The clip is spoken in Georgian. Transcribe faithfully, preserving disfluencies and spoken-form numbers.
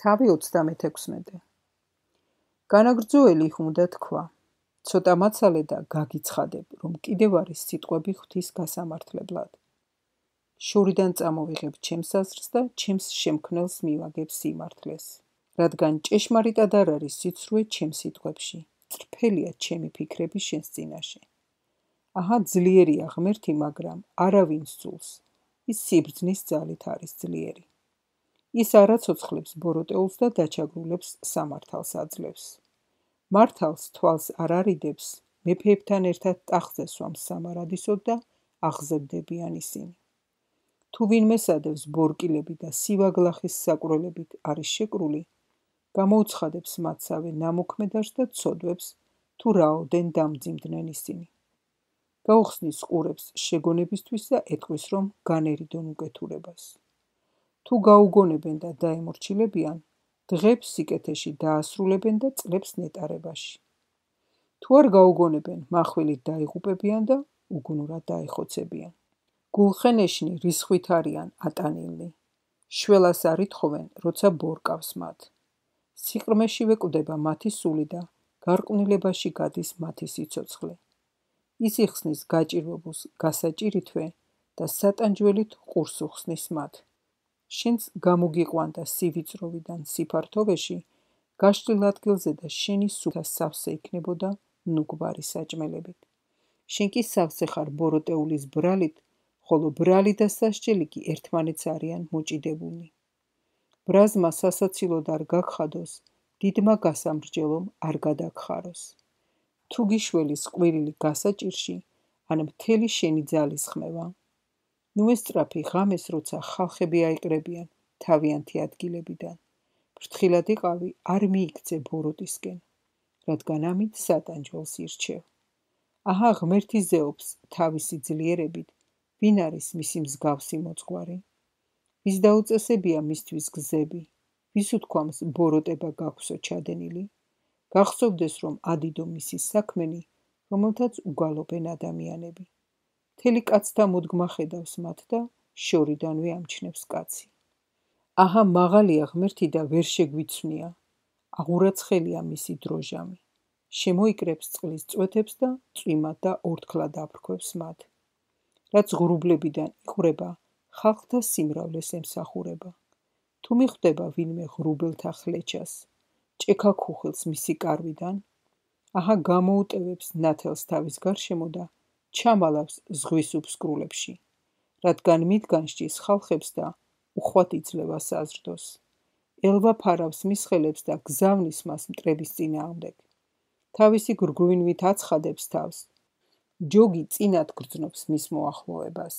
თავი ოცდამეთექვსმეტე. განაგრძოელი უნდა თქვა, ცოტა მაცალე და გაგიცხადებ, რომ კიდევ არის სიტყვები ღვთის გასამართლებლად. შორიდან წამოვიღებ ჩემს აზრს და ჩემს შემქმნელს მივაგებ სიმართლეს. რადგან ჭეშმარიტად არ არის სიცრუე ჩემ სიტყვებში, წრფელია ჩემი ფიქრები შენს წინაშე. აჰა, ძლიერია ღმერთი, მაგრამ არავინ სძულს, ის სიბრძნის ძალით არის ძლიერი. ის არ აცოცხლებს ბოროტეულს და დაჩაგრულებს სამართალს აძლევს. მართალს თვალს არ არიდებს, მეფეებთან ერთად ტახტზე სვამს სამარადისოდ და აღზევდებიან ისინი. თუ ვინმე სადევს ბორკილები და სივაგლახის საკვრელებით არის შეკრული, გამოუცხადებს მათსავე ნამოქმედარს და ცოდვებს, თუ რაოდენ დამძიმდნენ ისინი. გაუხსნის ყურებს შეგონებისთვის და ეტყვის, რომ განერიდონ უკეთურებას. თუ გაუგონებენ და დაემორჩილებიან, დღებს სიკეთეში დაასრულებენ და წლებს ნეტარებაში. თუ არ გაუგონებენ, מחვილით დაიღუპებიან და უგუნურად დაეხოცებიან. გულხენეშნი რისხვით არიან ატანილნი, შველას არ ითხოვენ, როცა ბორკავს მათ. სიყრმეშივე კვდება მათი სული და გარყვნილებაში გადის მათი სიცოცხლე. ის იხსნის გაჭირვებულს გასაჭირითვე და სატანჯველით ყურს უხსნის მათ. შენც გამოგიყვანდა სივიწროვიდან სიფართოვეში, გაშლილ ადგილზე და შენი სუფთა სავსე იქნებოდა ნუგვარი საჭმელებით. შენ კი სავსე ხარ ბოროტეულის ბრალით, ხოლო ბრალი და სასჯელი კი ერთმანეთს არიან მოჭიდებულნი. ბრაზმა სასაცილოდ არ გაგხადოს, დიდმა გასამრჯელომ არ გადაგხაროს. თუ გიშველის ყვირილი გასაჭირში, ან მთელი შენი ძალის ხმევა. ნუ ესწრაფი ღამეს, როცა ხალხები აიყრებიან თავიანთი ადგილებიდან. ფრთხილად იყავი, არ მიიქცე ბოროტისკენ, რადგან ამით სატანჯველს ირჩევ. აჰა, ღმერთი ზეობს თავისი ძლიერებით, ვინ არის მისი მსგავსი მოძღვარი? ვის დაუწესებია მისთვის გზები, ვის უთქვამს ბოროტება გაქვსო ჩადენილი? გახსოვდეს, რომ ადიდო მისი საქმენი, რომელთაც უგალობენ ადამიანები. მთელი კაცთა მოდგმა ხედავს მათ და შორიდანვე ამჩნევს კაცი. აჰა, მაღალია ღმერთი და ვერ შეგვიცვნია, აღურაცხელია მისი დროჟამი. შემოიკრებს წყლის წვეთებს და წვიმად და ორთქლად აფრქვევს მათ. რაც ღრუბლებიდან იღვრება, ხალხთა სიმრავლეს ემსახურება. თუ მიხვდება ვინმე ღრუბელთა ხლეჩას, ჭექა ქუხილს მისი კარვიდან, აჰა, გამოუტევებს ნათელს თავის გარშემო და ჩამალავს ზღვის უფსკრულებში, რადგან მითგან სჯის ხალხებს და უხვად იძლევა საზრდოს. ელვა ფარავს მის ხელებს და გზავნის მას მტრების წინააღმდეგ. თავისი გრგვინვით აცხადებს თავს, ჯოგი წინათ გრძნობს მის მოახლოებას.